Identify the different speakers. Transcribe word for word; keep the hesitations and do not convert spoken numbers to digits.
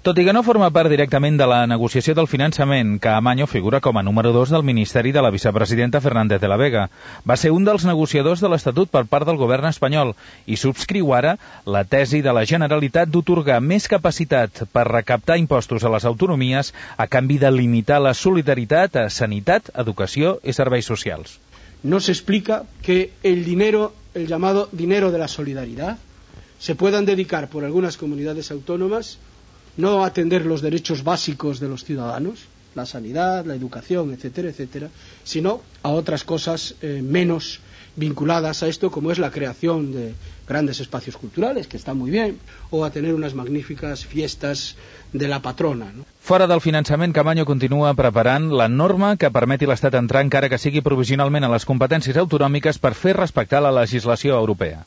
Speaker 1: Tot i que no forma part directament de la negociació del finançament, Caamaño figura com a número dos del Ministeri de la vicepresidenta Fernández de la Vega. Va ser un dels negociadors de l'Estatut per part del govern espanyol i subscriu ara la tesi de la Generalitat d'otorgar més capacitat per recaptar impostos a les autonomies a canvi de limitar la solidaritat a sanitat, educació i serveis socials.
Speaker 2: No se explica que el dinero, el llamado dinero de la solidaridad, se puedan dedicar por algunas comunidades autónomas no a atender los derechos básicos de los ciudadanos, la sanidad, la educación, etcétera, etcétera, sino a otras cosas eh, menos vinculadas a esto, como es la creación de grandes espacios culturales, que está muy bien, o a tener unas magníficas fiestas de la patrona, ¿no?
Speaker 1: Fora del finançament, Caamaño continua preparant la norma que permeti l'Estat entrar, encara que sigui provisionalment, a les competències autonòmiques per fer respectar la legislació europea.